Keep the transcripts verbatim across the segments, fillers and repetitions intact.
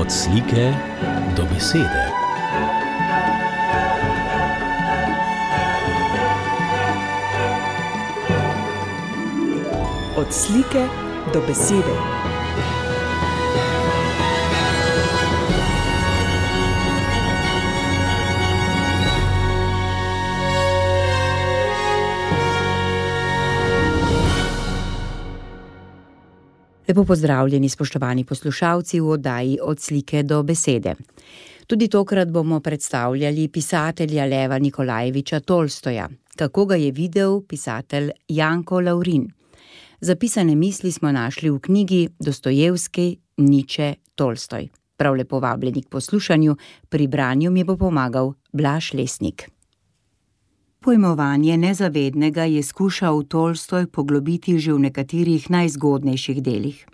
Od slike do besede. Od slike do besede. Lepo pozdravljeni, spoštovani poslušalci v oddaji Od slike do besede. Tudi tokrat bomo predstavljali pisatelja Leva Nikolajeviča Tolstoja, kako ga je videl pisatelj Janko Lavrin. Zapisane misli smo našli v knjigi Dostojevski, Niče, Tolstoj. Prav lepo vabljeni k poslušanju, pri branju mi bo pomagal Blaž Lesnik. Pojmovanje nezavednega je skušal Tolstoj poglobiti že v nekaterih najzgodnejših delih.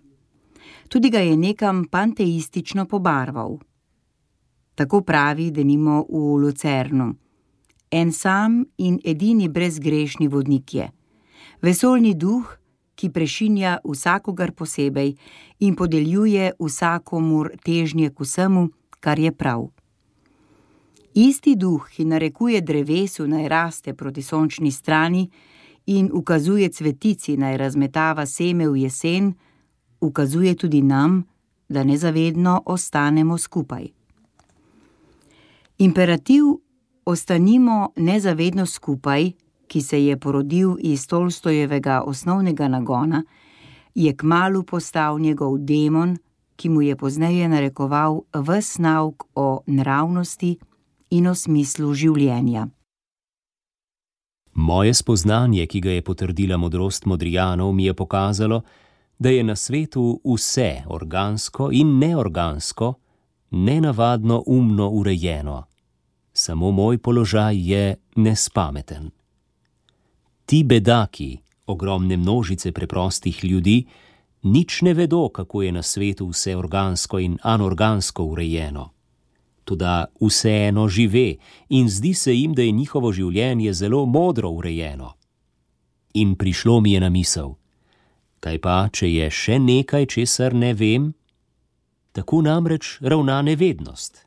Tudi ga je nekam panteistično pobarval. Tako pravi denimo v Lucernu. En sam in edini brezgrešni vodnik je. Vesoljni duh, ki prešinja vsakogar posebej in podeljuje vsakomur težnje k vsemu, kar je prav. Isti duh, ki narekuje drevesu naj raste proti sončni strani in ukazuje cvetici naj razmetava seme v jesen, ukazuje tudi nam, da nezavedno ostanemo skupaj. Imperativ ostanimo nezavedno skupaj, ki se je porodil iz Tolstojevega osnovnega nagona, je kmalu postal njegov demon, ki mu je pozneje narekoval ves nauk o nravnosti in o smislu življenja. Moje spoznanje, ki ga je potrdila modrost Modrijanov, mi je pokazalo, da je na svetu vse organsko in neorgansko, nenavadno umno urejeno. Samo moj položaj je nespameten. Ti bedaki, ogromne množice preprostih ljudi, nič ne vedo, kako je na svetu vse organsko in anorgansko urejeno. Toda vseeno žive in zdi se jim, da je njihovo življenje zelo modro urejeno. In prišlo mi je na misel, kaj pa, če je še nekaj, česar ne vem? Tako namreč ravna nevednost.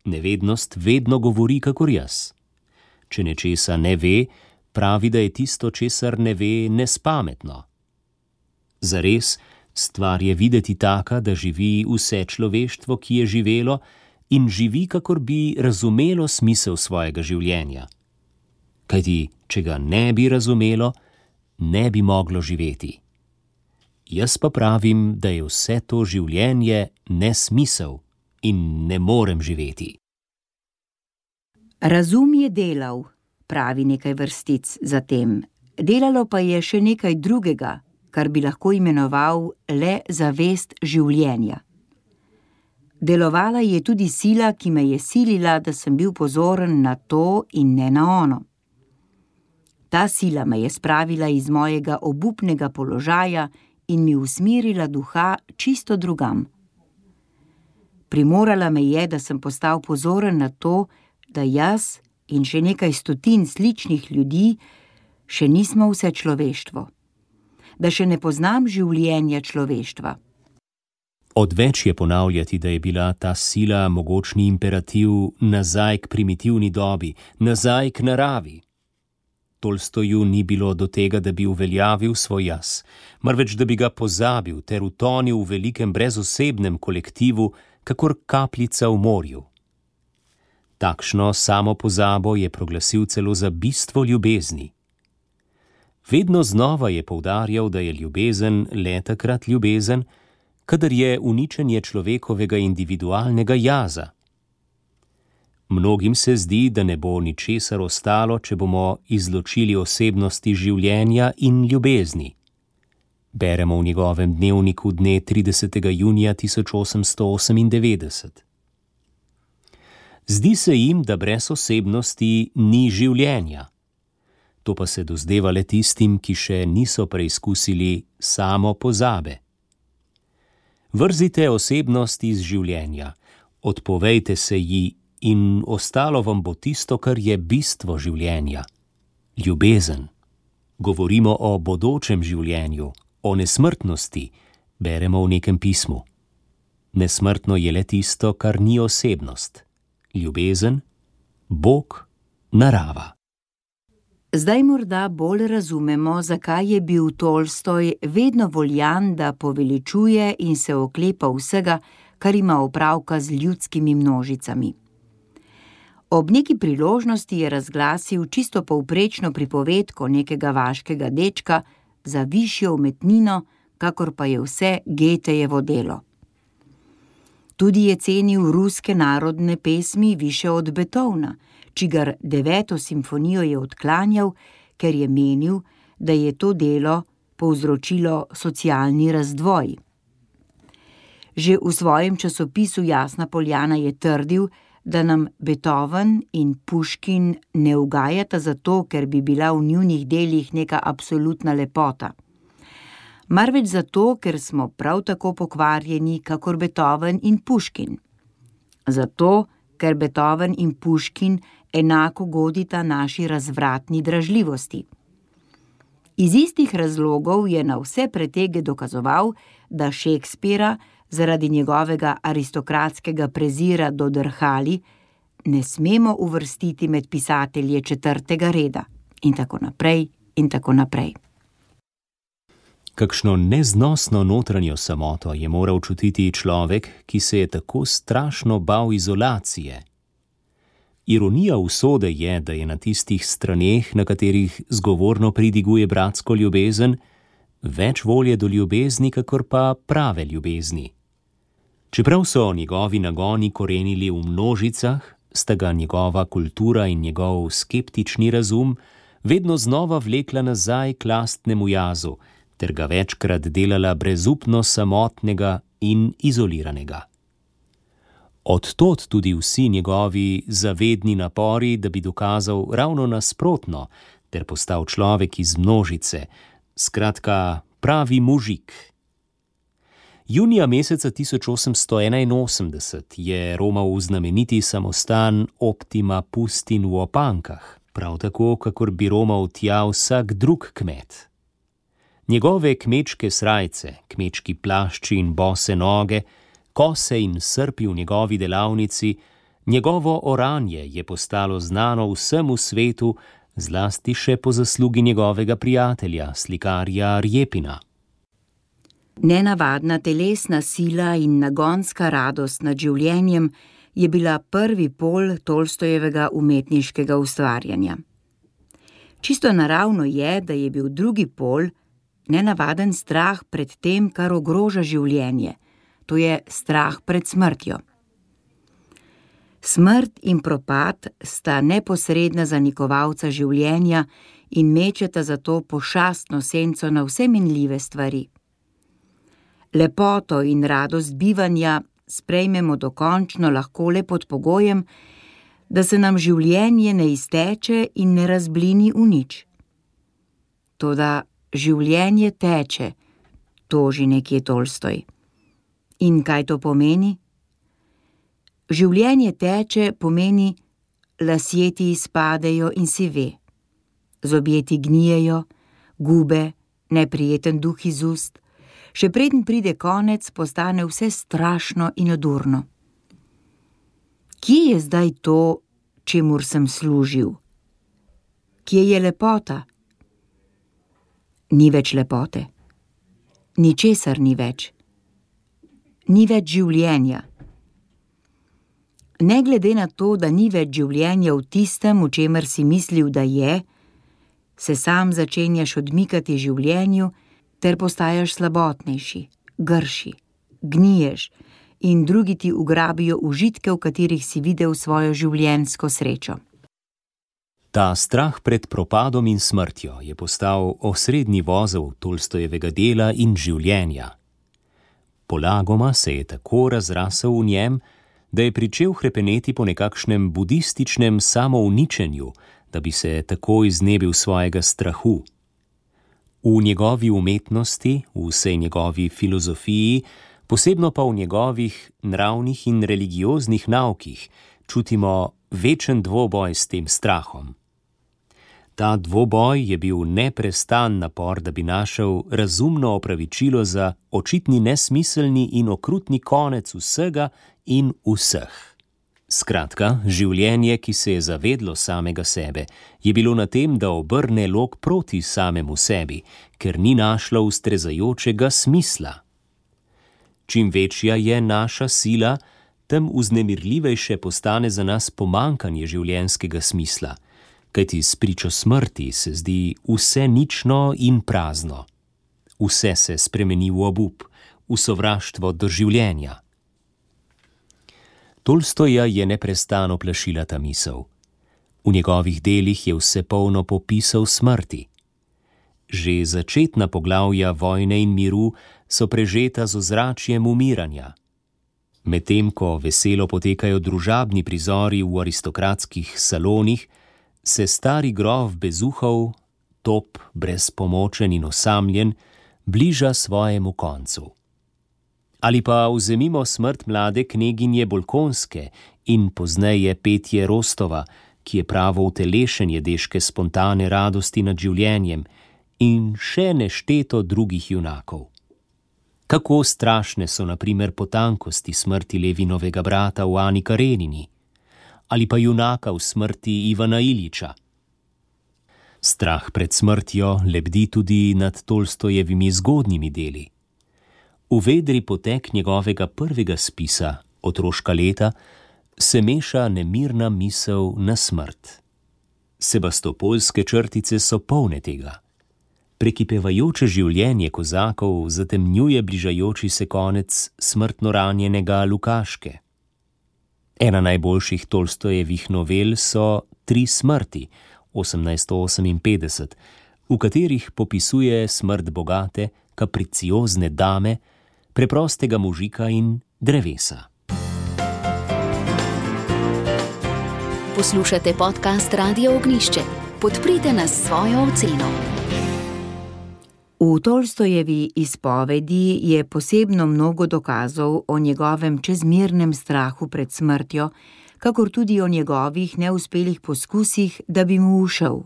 Nevednost vedno govori kakor jaz. Če nečesa ne ve, pravi, da je tisto, česar ne ve, nespametno. Zares, stvar je videti taka, da živi vse človeštvo, ki je živelo, in živi, kakor bi razumelo smisel svojega življenja. Kajti, če ga ne bi razumelo, ne bi moglo živeti. Jaz pa pravim, da je vse to življenje nesmisel in ne morem živeti. Razum je delal, pravi nekaj vrstic zatem. Delalo pa je še nekaj drugega, kar bi lahko imenoval le zavest življenja. Delovala je tudi sila, ki me je silila, da sem bil pozoren na to in ne na ono. Ta sila me je spravila iz mojega obupnega položaja in mi usmerila duha čisto drugam. Primorala me je, da sem postal pozoren na to, da jaz in še nekaj stotin sličnih ljudi še nismo vse človeštvo. Da še ne poznam življenja človeštva. Odveč je ponavljati, da je bila ta sila mogočni imperativ nazaj k primitivni dobi, nazaj k naravi. Tolstoju ni bilo do tega, da bi uveljavil svoj jaz, marveč da bi ga pozabil ter utonil v velikem brezosebnem kolektivu, kakor kapljica v morju. Takšno samo pozabo je proglasil celo za bistvo ljubezni. Vedno znova je poudarjal, da je ljubezen le takrat ljubezen, kadar je uničenje človekovega individualnega jaza. Mnogim se zdi, da ne bo ničesar ostalo, če bomo izločili osebnosti življenja in ljubezni. Beremo v njegovem dnevniku dne tridesetega junija tisoč osemsto osemindevetdeset. Zdi se jim, da brez osebnosti ni življenja. To pa se dozdeva le tistim, ki še niso preizkusili samo pozabe. Vrzite osebnost iz življenja, odpovejte se ji in ostalo vam bo tisto, kar je bistvo življenja. Ljubezen. Govorimo o bodočem življenju, o nesmrtnosti, beremo v nekem pismu. Nesmrtno je le tisto, kar ni osebnost. Ljubezen, Bog, narava. Zdaj morda bolj razumemo, zakaj je bil Tolstoj vedno voljan, da poveličuje in se oklepa vsega, kar ima opravka z ljudskimi množicami. Ob neki priložnosti je razglasil čisto povprečno pripovedko nekega vaškega dečka za višjo umetnino, kakor pa je vse Goethejevo delo. Tudi je cenil ruske narodne pesmi više od Beethovna, čigar deveto simfonijo je odklanjal, ker je menil, da je to delo povzročilo socialni razdvoj. Že v svojem časopisu Jasna Poljana je trdil, da nam Beethoven in Puškin ne ugajata zato, ker bi bila v njunih delih neka absolutna lepota. Marveč zato, ker smo prav tako pokvarjeni, kakor Beethoven in Puškin. Zato, ker Beethoven in Puškin enako godita naši razvratni dražljivosti. Iz istih razlogov je na vse pretege dokazoval, da Shakespeara zaradi njegovega aristokratskega prezira do drhali ne smemo uvrstiti med pisatelje četrtega reda in tako naprej in tako naprej. Kakšno neznosno notranjo samoto je moral čutiti človek, ki se je tako strašno bal izolacije. Ironija usode je, da je na tistih straneh, na katerih zgovorno pridiguje bratsko ljubezen, več volje do ljubezni, kakor pa prave ljubezni. Čeprav so njegovi nagoni korenili v množicah, sta ga njegova kultura in njegov skeptični razum vedno znova vlekla nazaj k lastnemu jazu, ter ga večkrat delala brezupno samotnega in izoliranega. Od tod tudi vsi njegovi zavedni napori, da bi dokazal ravno nasprotno, ter postal človek iz množice, skratka pravi mužik. Junija meseca tisoč osemsto enainosemdeset je romal v znameniti samostan Optima Pustin v Opankah, prav tako, kakor bi romal tja vsak drug kmet. Njegove kmečke srajce, kmečki plašči in bose noge, kose in srpi v njegovi delavnici, njegovo oranje je postalo znano vsemu svetu, zlasti še po zaslugi njegovega prijatelja, slikarja Rjepina. Nenavadna telesna sila in nagonska radost nad življenjem je bila prvi pol Tolstojevega umetniškega ustvarjanja. Čisto naravno je, da je bil drugi pol nenavaden strah pred tem, kar ogroža življenje, to je strah pred smrtjo. Smrt in propad sta neposredna zanikovalca življenja in mečeta zato pošastno senco na vse minljive stvari. Lepoto in radost bivanja sprejmemo dokončno lahko le pod pogojem, da se nam življenje ne izteče in ne razblini v nič. Toda življenje teče, toži nekje Tolstoj. In kaj to pomeni? Življenje teče pomeni, lasje ti izpadejo in si ve. Zobje ti gnijejo, gube, neprijeten duh iz ust. Še preden pride konec, postane vse strašno in odurno. Kje je zdaj to, čemur sem služil? Kje je lepota? Ni več lepote. Ničesar ni več. Ni več življenja. Ne glede na to, da ni več življenja v tistem, v čemer si mislil, da je, se sam začenjaš odmikati življenju, ter postajaš slabotnejši, grši, gniješ in drugi ti ugrabijo užitke, v katerih si videl svojo življenjsko srečo. Ta strah pred propadom in smrtjo je postal osrednji vozel Tolstojevega dela in življenja. Polagoma se je tako razrasel v njem, da je pričel hrepeneti po nekakšnem budističnem samouničenju, da bi se tako iznebil svojega strahu. V njegovi umetnosti, v vsej njegovi filozofiji, posebno pa v njegovih nravnih in religioznih naukih, čutimo večen dvoboj s tem strahom. Ta dvoboj je bil neprestan napor, da bi našel razumno opravičilo za očitni nesmiselni in okrutni konec vsega in vseh. Skratka, življenje, ki se je zavedlo samega sebe, je bilo na tem, da obrne lok proti samemu sebi, ker ni našlo ustrezajočega smisla. Čim večja je naša sila, tem vznemirljivejše postane za nas pomanjkanje življenjskega smisla, kajti s pričo smrti se zdi vse nično in prazno. Vse se spremeni v obup, v sovraštvo do življenja. Tolstoja je neprestano plašila ta misel. V njegovih delih je vse polno popisov smrti. Že začetna poglavja Vojne in miru so prežeta z ozračjem umiranja. Medtem ko veselo potekajo družabni prizori v aristokratskih salonih, se stari grof Bezuhov, top, brezpomočen in osamljen, bliža svojemu koncu. Ali pa vzemimo smrt mlade kneginje Bolkonske in pozneje petje Rostova, ki je pravo utelešenje deške spontane radosti nad življenjem, in še nešteto drugih junakov. Kako strašne so na primer potankosti smrti Levinovega brata v Ani Karenini, ali pa junaka v smrti Ivana Iljiča. Strah pred smrtjo lebdi tudi nad Tolstojevimi zgodnjimi deli. V vedri potek njegovega prvega spisa, Otroška leta, se meša nemirna misel na smrt. Sebastopolske črtice so polne tega. Prekipevajoče življenje kozakov zatemnjuje bližajoči se konec smrtno ranjenega Lukaške. Ena najboljših Tolstojevih novel so Tri smrti, osemnajststo oseminpetdeset, v katerih popisuje smrt bogate, kapriciozne dame, preprostega možika in drevesa. Poslušate podcast Radio Ognjišče. Podprite nas s svojo oceno. V Tolstojevi izpovedi je posebno mnogo dokazov o njegovem čezmernem strahu pred smrtjo, kakor tudi o njegovih neuspelih poskusih, da bi mu ušel.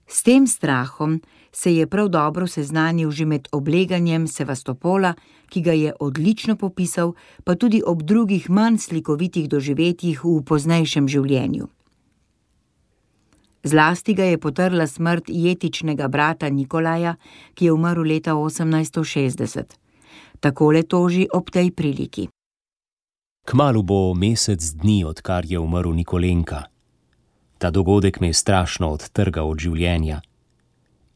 S tem strahom se je prav dobro seznanil že med obleganjem Sevastopola, ki ga je odlično popisal, pa tudi ob drugih manj slikovitih doživetjih v poznejšem življenju. Zlasti ga je potrla smrt jetičnega brata Nikolaja, ki je umrl leta osemnajststo šestdeset. Takole toži ob tej priliki. Kmalu bo mesec dni, odkar je umrl Nikolenka. Ta dogodek me je strašno odtrgal od življenja.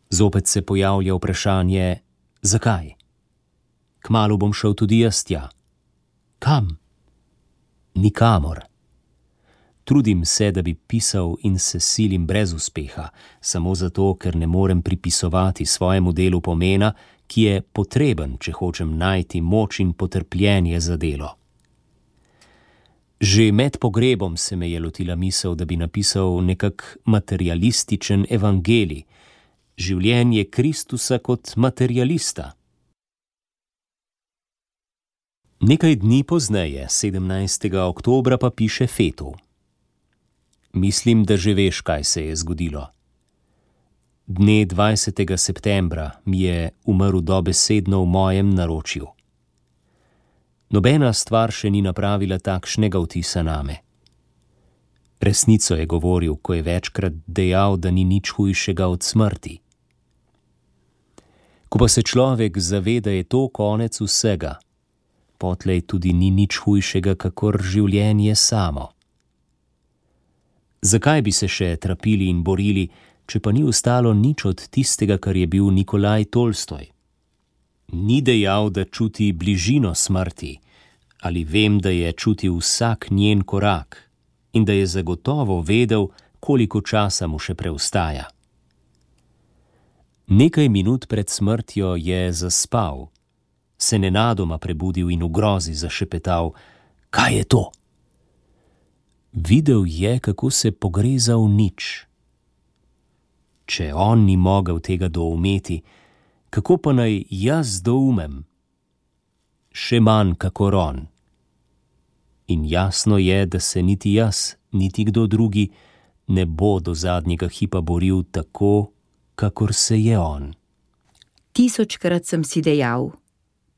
Zopet se pojavlja vprašanje, zakaj? Kmalu bom šel tudi jaz tja. Kam? Nikamor. Trudim se, da bi pisal in se silim brez uspeha, samo zato, ker ne morem pripisovati svojemu delu pomena, ki je potreben, če hočem najti moč in potrpljenje za delo. Že med pogrebom se me je lotila misel, da bi napisal nekak materialističen evangelij, življenje Kristusa kot materialista. Nekaj dni pozneje, sedemnajstega oktobra, pa piše Fetu. Mislim, da že veš, kaj se je zgodilo. Dne dvajsetega septembra mi je umrl dobesedno v mojem naročju. Nobena stvar še ni napravila takšnega vtisa name. Resnico je govoril, ko je večkrat dejal, da ni nič hujšega od smrti. Ko pa se človek zaveda, je to konec vsega, potlej tudi ni nič hujšega, kakor življenje samo. Zakaj bi se še trapili in borili, če pa ni ostalo nič od tistega, kar je bil Nikolaj Tolstoj? Ni dejal, da čuti bližino smrti, ali vem, da je čutil vsak njen korak in da je zagotovo vedel, koliko časa mu še preostaja. Nekaj minut pred smrtjo je zaspal, se nenadoma prebudil in v grozi zašepetal, kaj je to? Videl je, kako se pogreza v nič. Če on ni mogel tega doumeti, kako pa naj jaz doumem? Še manj kakor on. In jasno je, da se niti jaz, niti kdo drugi ne bo do zadnjega hipa boril tako, kakor se je on. Tisočkrat sem si dejal,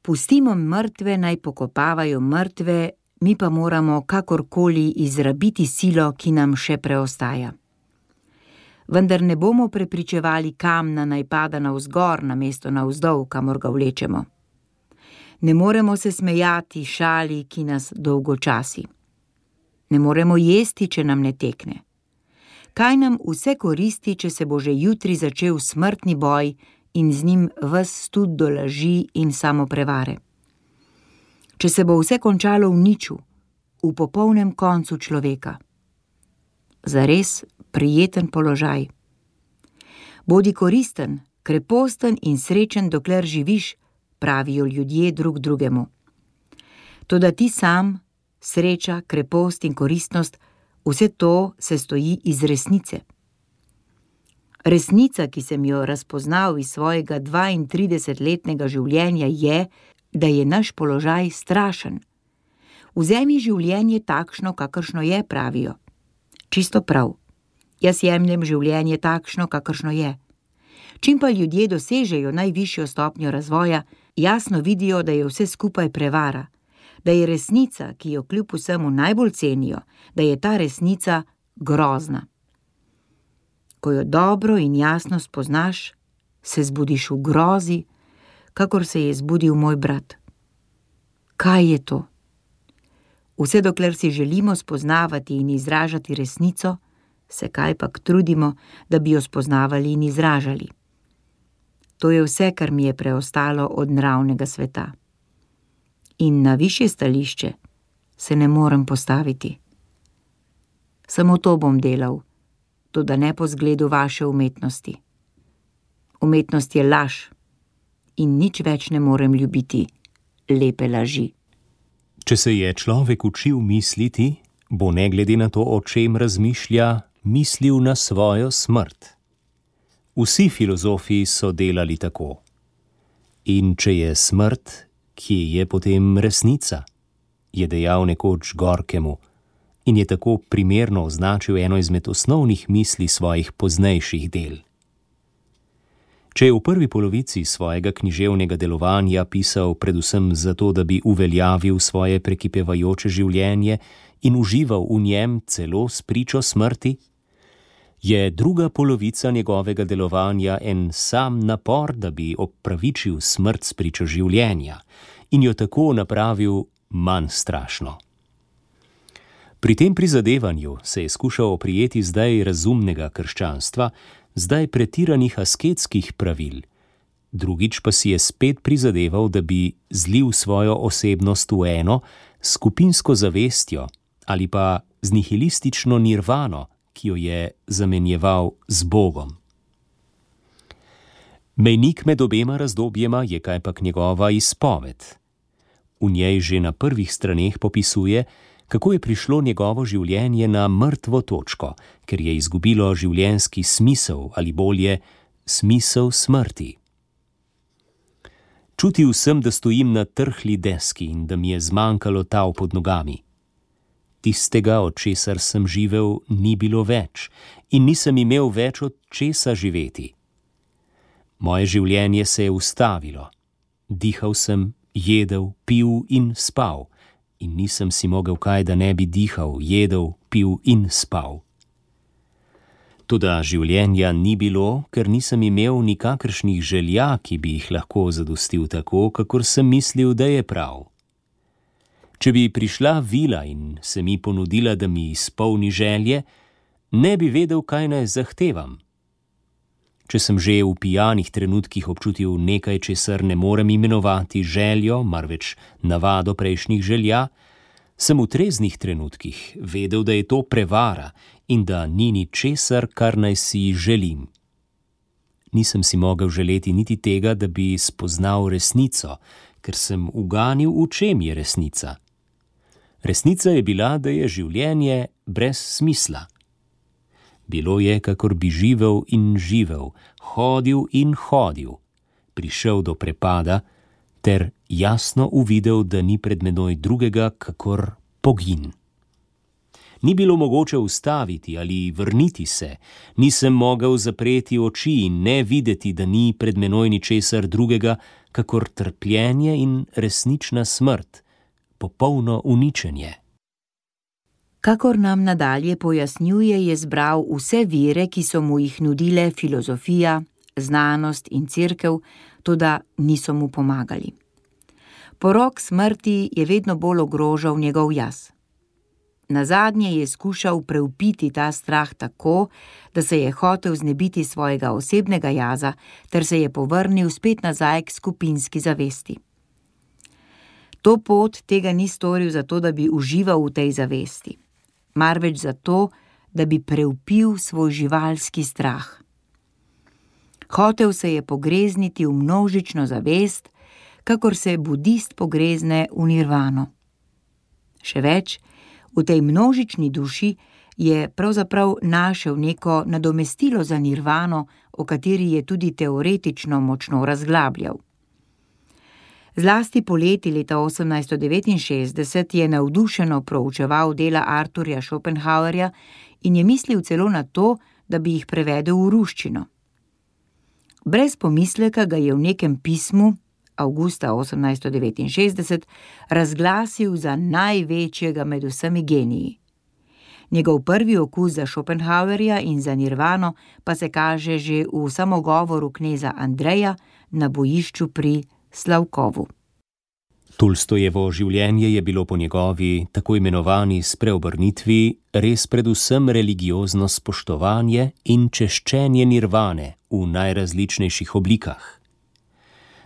pustimo mrtve naj pokopavajo mrtve, mi pa moramo kakorkoli izrabiti silo, ki nam še preostaja. Vendar ne bomo prepričevali kamna naj pada navzgor namesto navzdol, kamor ga vlečemo. Ne moremo se smejati šali, ki nas dolgočasi. Ne moremo jesti, če nam ne tekne. Kaj nam vse koristi, če se bo že jutri začel smrtni boj in z njim ves stud do laži in samoprevare? Če se bo vse končalo v niču, v popolnem koncu človeka. Zares prijeten položaj. Bodi koristen, kreposten in srečen, dokler živiš, pravijo ljudje drug drugemu. Toda ti sam, sreča, krepost in koristnost, vse to se stoji iz resnice. Resnica, ki sem jo razpoznal iz svojega dvaintridesetletnega življenja, je, da je naš položaj strašen. Vzemi življenje takšno, kakršno je, pravijo. Čisto prav. Jaz jemljem življenje takšno, kakršno je. Čim pa ljudje dosežejo najvišjo stopnjo razvoja, jasno vidijo, da je vse skupaj prevara, da je resnica, ki jo kljub vsemu najbolj cenijo, da je ta resnica grozna. Ko jo dobro in jasno spoznaš, se zbudiš v grozi, kakor se je zbudil moj brat. Kaj je to? Vse dokler si želimo spoznavati in izražati resnico, se kajpak trudimo, da bi jo spoznavali in izražali. To je vse, kar mi je preostalo od naravnega sveta. In na višje stališče se ne morem postaviti. Samo to bom delal, toda ne po zgledu vaše umetnosti. Umetnost je laž in nič več ne morem ljubiti lepe laži. Če se je človek učil misliti, bo ne glede na to, o čem razmišlja, mislil na svojo smrt. Vsi filozofi so delali tako. In če je smrt, kje je potem resnica? Je dejal nekoč Gorkemu in je tako primerno označil eno izmed osnovnih misli svojih poznejših del. Če je v prvi polovici svojega književnega delovanja pisal predvsem zato, da bi uveljavil svoje prekipevajoče življenje in užival v njem celo s pričo smrti, je druga polovica njegovega delovanja en sam napor, da bi opravičil smrt s pričo življenja in jo tako napravil manj strašno. Pri tem prizadevanju se je skušal oprijeti zdaj razumnega krščanstva, zdaj pretiranih asketskih pravil, drugič pa si je spet prizadeval, da bi zlil svojo osebnost v eno skupinsko zavestjo ali pa z nihilistično nirvano, ki jo je zamenjeval z Bogom. Mejnik med obema razdobjema je kajpak njegova izpoved. V njej že na prvih straneh popisuje, kako je prišlo njegovo življenje na mrtvo točko, ker je izgubilo življenjski smisel ali bolje smisel smrti. Čutil sem, da stojim na trhli deski in da mi je zmanjkalo tal pod nogami. Tistega, od česar sem živel, ni bilo več in nisem imel več od česa živeti. Moje življenje se je ustavilo. Dihal sem, jedel, pil in spal in nisem si mogel kaj, da ne bi dihal, jedel, pil in spal. Toda življenja ni bilo, ker nisem imel nikakršnih želja, ki bi jih lahko zadostil tako, kakor sem mislil, da je prav. Če bi prišla vila in se mi ponudila, da mi izpolni želje, ne bi vedel, kaj naj zahtevam. Če sem že v pijanih trenutkih občutil nekaj, česar ne morem imenovati željo, marveč navado prejšnjih želja, sem v treznih trenutkih vedel, da je to prevara in da ni ničesar, kar naj si želim. Nisem si mogel želeti niti tega, da bi spoznal resnico, ker sem uganil, v čem je resnica. Resnica je bila, da je življenje brez smisla. Bilo je, kakor bi živel in živel, hodil in hodil, prišel do prepada ter jasno uvidel, da ni pred menoj drugega, kakor pogin. Ni bilo mogoče ustaviti ali vrniti se, nisem mogel zapreti oči in ne videti, da ni pred menoj ničesar drugega, kakor trpljenje in resnična smrt, popolno uničenje. Kakor nam nadalje pojasnjuje, je zbral vse vire, ki so mu jih nudile filozofija, znanost in cerkev, toda niso mu pomagali. Porok smrti je vedno bolj ogrožal njegov jaz. Nazadnje je skušal preupiti ta strah tako, da se je hotel znebiti svojega osebnega jaza ter se je povrnil spet nazaj k skupinski zavesti. To pot tega ni storil zato, da bi užival v tej zavesti, marveč zato, da bi preupil svoj živalski strah. Hotel se je pogrezniti v množično zavest, kakor se budist pogrezne v nirvano. Še več, v tej množični duši je pravzaprav našel neko nadomestilo za nirvano, o kateri je tudi teoretično močno razglabljal. Zlasti poleti leta osemnajststo devetinšestdeset je navdušeno proučeval dela Arthurja Schopenhauerja in je mislil celo na to, da bi jih prevedel v ruščino. Brez pomisleka ga je v nekem pismu avgusta osemnajststo devetinšestdeset razglasil za največjega med vsemi geniji. Njegov prvi okus za Schopenhauerja in za nirvano pa se kaže že v samogovoru kneza Andreja na bojišču pri Slavkovu. Tolstojevo življenje je bilo po njegovi tako imenovani spreobrnitvi res predvsem religiozno spoštovanje in češčenje nirvane v najrazličnejših oblikah.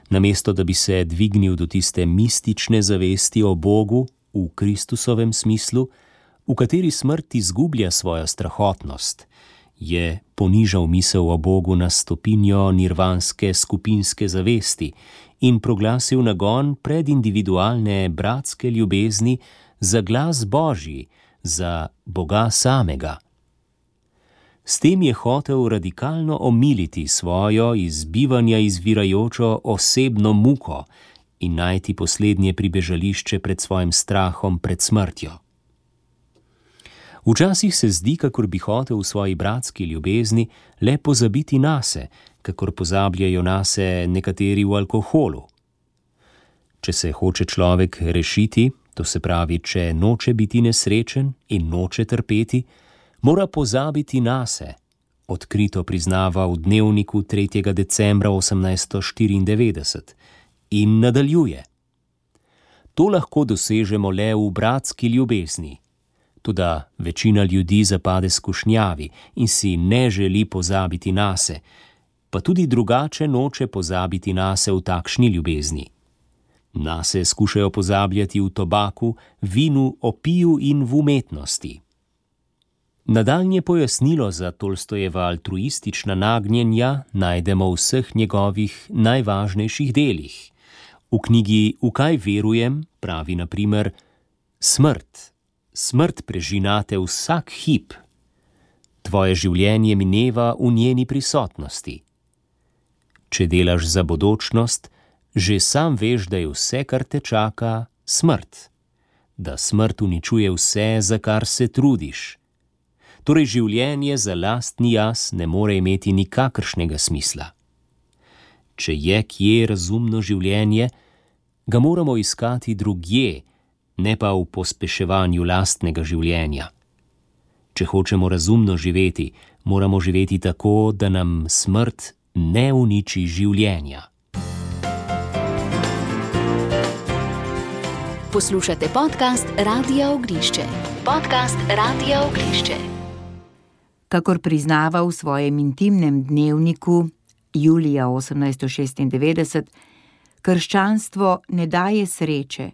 Namesto da bi se dvignil do tiste mistične zavesti o Bogu v Kristusovem smislu, v kateri smrt izgublja svojo strahotnost, je ponižal misel o Bogu na stopinjo nirvanske skupinske zavesti in proglasil nagon pred individualne bratske ljubezni za glas Božji, za Boga samega. S tem je hotel radikalno omiliti svojo iz bivanja izvirajočo osebno muko in najti poslednje pribežališče pred svojim strahom pred smrtjo. Včasih se zdi, kakor bi hotel v svoji bratski ljubezni le pozabiti nase, kakor pozabljajo nase nekateri v alkoholu. Če se hoče človek rešiti, to se pravi, če noče biti nesrečen in noče trpeti, mora pozabiti nase, odkrito priznava v dnevniku tretjega decembra osemnajststo štiriindevetdeset in nadaljuje. To lahko dosežemo le v bratski ljubezni. Toda večina ljudi zapade skušnjavi in si ne želi pozabiti nase, pa tudi drugače noče pozabiti nase v takšni ljubezni. Nase skušajo pozabljati v tobaku, vinu, opiju in v umetnosti. Nadaljnje pojasnilo za Tolstojeva altruistična nagnjenja najdemo v vseh njegovih najvažnejših delih. V knjigi V kaj verujem pravi na primer: Smrt, smrt prežinate vsak hip. Tvoje življenje mineva v njeni prisotnosti. Če delaš za bodočnost, že sam veš, da je vse, kar te čaka, smrt. Da smrt uničuje vse, za kar se trudiš. Torej življenje za lastni jaz ne more imeti nikakršnega smisla. Če je kje razumno življenje, ga moramo iskati drugje, ne pa v pospeševanju lastnega življenja. Če hočemo razumno živeti, moramo živeti tako, da nam smrt ne uniči življenja. Poslušate podcast Radia Ognišče. Podcast Radia Ognišče. Kakor priznava v svojem intimnem dnevniku julija osemnajststo šestindevetdeset, krščanstvo ne daje sreče,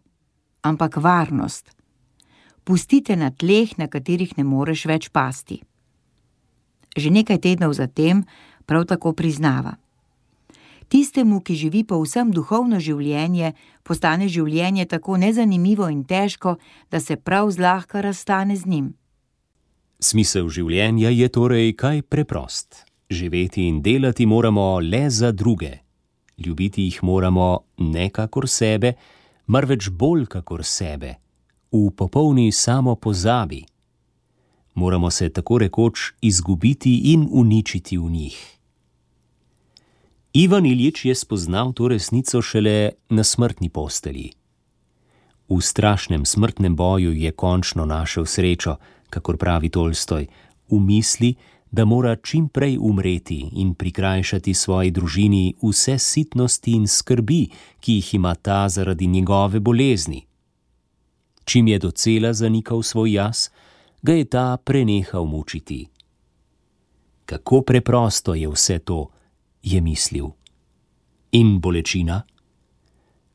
ampak varnost. Pustite na tleh, na katerih ne moreš več pasti. Že nekaj tednov zatem prav tako priznava. Tistemu, ki živi povsem duhovno življenje, postane življenje tako nezanimivo in težko, da se prav zlahka razstane z njim. Smisel življenja je torej kaj preprost. Živeti in delati moramo le za druge. Ljubiti jih moramo ne kakor sebe, marveč bolj kakor sebe, v popolni samopozabi. Moramo se tako rekoč izgubiti in uničiti v njih. Ivan Iljič je spoznal to resnico šele na smrtni postelji. V strašnem smrtnem boju je končno našel srečo, kakor pravi Tolstoj, v misli, da mora čim prej umreti in prikrajšati svoji družini vse sitnosti in skrbi, ki jih ima ta zaradi njegove bolezni. Čim je docela zanikal svoj jaz, ga je ta prenehal mučiti. Kako preprosto je vse to, je mislil. In bolečina?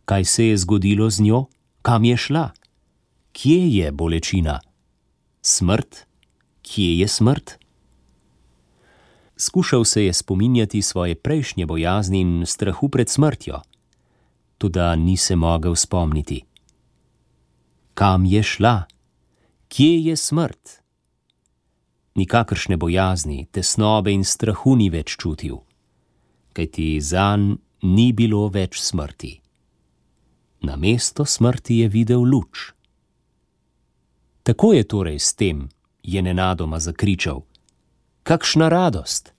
Kaj se je zgodilo z njo? Kam je šla? Kje je bolečina? Smrt? Kje je smrt? Skušal se je spominjati svoje prejšnje bojazni in strahu pred smrtjo, toda ni se mogel spomniti. Kam je šla? Kje je smrt? Nikakršne bojazni, tesnobe in strahu ni več čutil, kajti zanj ni bilo več smrti. Namesto smrti je videl luč. Tako je torej s tem, je nenadoma zakričal. Kakšna radost!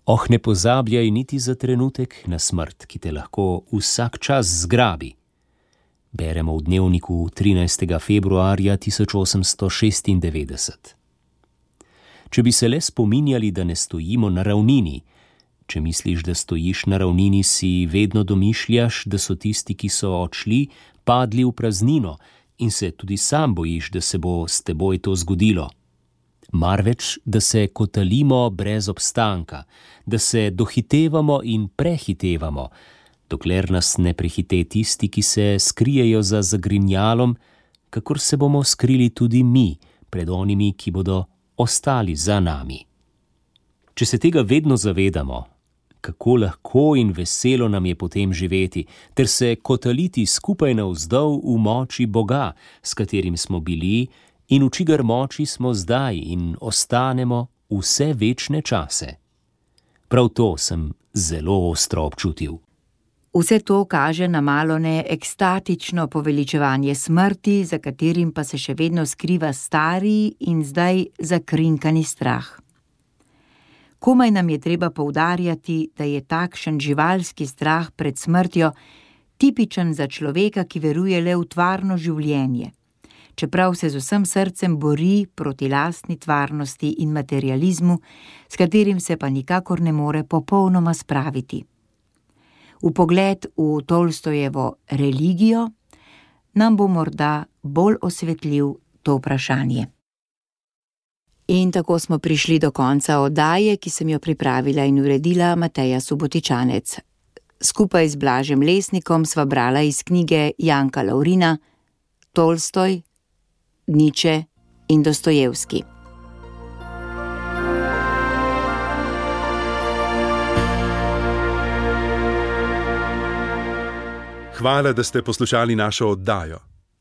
Oh, ne pozabljaj niti za trenutek na smrt, ki te lahko vsak čas zgrabi. Beremo v dnevniku trinajstega februarja tisoč osemsto šestindevetdeset. Če bi se le spominjali, da ne stojimo na ravnini, če misliš, da stojiš na ravnini, si vedno domišljaš, da so tisti, ki so odšli, padli v praznino in se tudi sam bojiš, da se bo s teboj to zgodilo. Marveč, da se kotalimo brez obstanka, da se dohitevamo in prehitevamo, dokler nas ne prehite tisti, ki se skrijejo za zagrinjalom, kakor se bomo skrili tudi mi pred onimi, ki bodo ostali za nami. Če se tega vedno zavedamo, kako lahko in veselo nam je potem živeti, ter se kotaliti skupaj navzdol v moči Boga, s katerim smo bili in v čigar moči smo zdaj in ostanemo vse večne čase. Prav to sem zelo ostro občutil. Vse to kaže na malone ekstatično poveličevanje smrti, za katerim pa se še vedno skriva stari in zdaj zakrinkani strah. Komaj nam je treba poudarjati, da je takšen živalski strah pred smrtjo tipičen za človeka, ki veruje le v tvarno življenje, čeprav se z vsem srcem bori proti lastni tvarnosti in materializmu, s katerim se pa nikakor ne more popolnoma spraviti. Vpogled v Tolstojevo religijo nam bo morda bolj osvetlil to vprašanje. In tako smo prišli do konca oddaje, ki sem jo pripravila in uredila Mateja Subotičanec. Skupaj z Blažem Lesnikom sva brala iz knjige Janka Laurina Tolstoj, Nietzsche in Dostojevski. Hvala, da ste poslušali našo oddajo.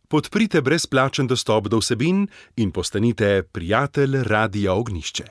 Podprite brezplačen dostop do vsebin in postanite prijatelj Radia Ognjišče.